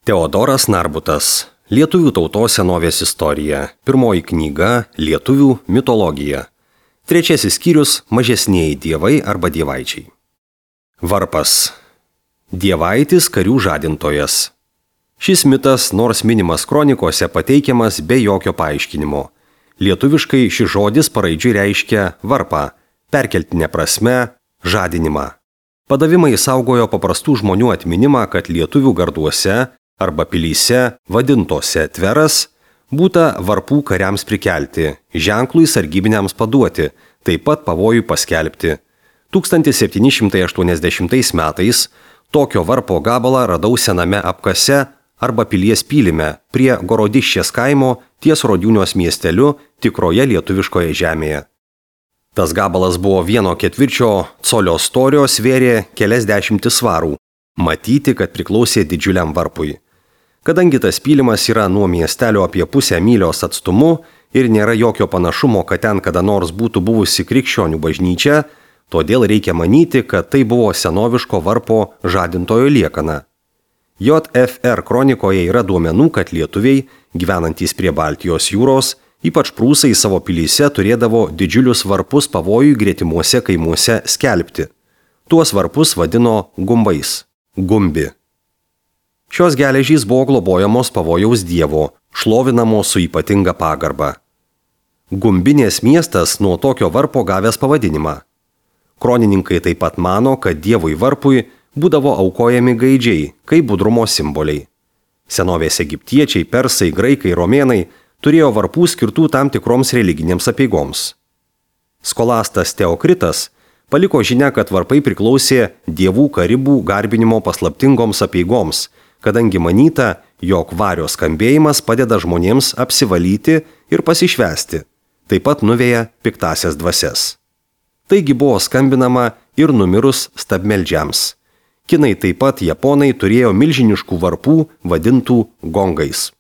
Teodoras Narbutas. Lietuvių tautos senovės istorija. Pirmoji knyga – Lietuvių mitologija. Trečiasis skyrius – Mažesnieji dievai arba dievaičiai. Varpas. Dievaitis karių žadintojas. Šis mitas, nors minimas kronikose, pateikiamas be jokio paaiškinimo. Lietuviškai šis žodis paraidžiui reiškia varpą, perkeltinė prasme – žadinimą. Padavimai saugojo paprastų žmonių atminimą, kad lietuvių garduose arba pilyse, vadintose tveras, būta varpų kariams prikelti, ženklui sargybiniams paduoti, taip pat pavojų paskelbti. 1780 metais tokio varpo gabalą radau sename apkase arba pilies pylime prie Gorodiščės kaimo ties Rodiūnios miesteliu tikroje lietuviškoje žemėje. Tas gabalas buvo 1/4 colio storio, svėrė keliasdešimtis svarų. Matyti, kad priklausė didžiuliam varpui. Kadangi tas pylimas yra nuo miestelio apie pusę mylios atstumu ir nėra jokio panašumo, kad ten kada nors būtų buvusi krikščionių bažnyčia, todėl reikia manyti, kad tai buvo senoviško varpo žadintojo liekana. JFR kronikoje yra duomenų, kad lietuviai, gyvenantys prie Baltijos jūros, ypač prūsai savo pilyse turėdavo didžiulius varpus pavojų gretimuose kaimuose skelbti. Tuos varpus vadino gumbais. Gumbi. Šios geležys buvo globojamos pavojaus dievo, šlovinamos su ypatinga pagarba. Gumbinės miestas nuo tokio varpo gavęs pavadinimą. Kronininkai taip pat mano, kad dievui varpui būdavo aukojami gaidžiai, kaip budrumo simboliai. Senovės egiptiečiai, persai, graikai, romėnai turėjo varpų skirtų tam tikroms religinėms apeigoms. Skolastas Teokritas paliko žinią, kad varpai priklausė dievų karibų garbinimo paslaptingoms apeigoms, kadangi manyta, jog vario skambėjimas padeda žmonėms apsivalyti ir pasišvęsti, taip pat nuveja piktasias dvasias. Taigi buvo skambinama ir numirus stabmeldžiams. Kinai taip pat japonai turėjo milžiniškų varpų vadintų gongais.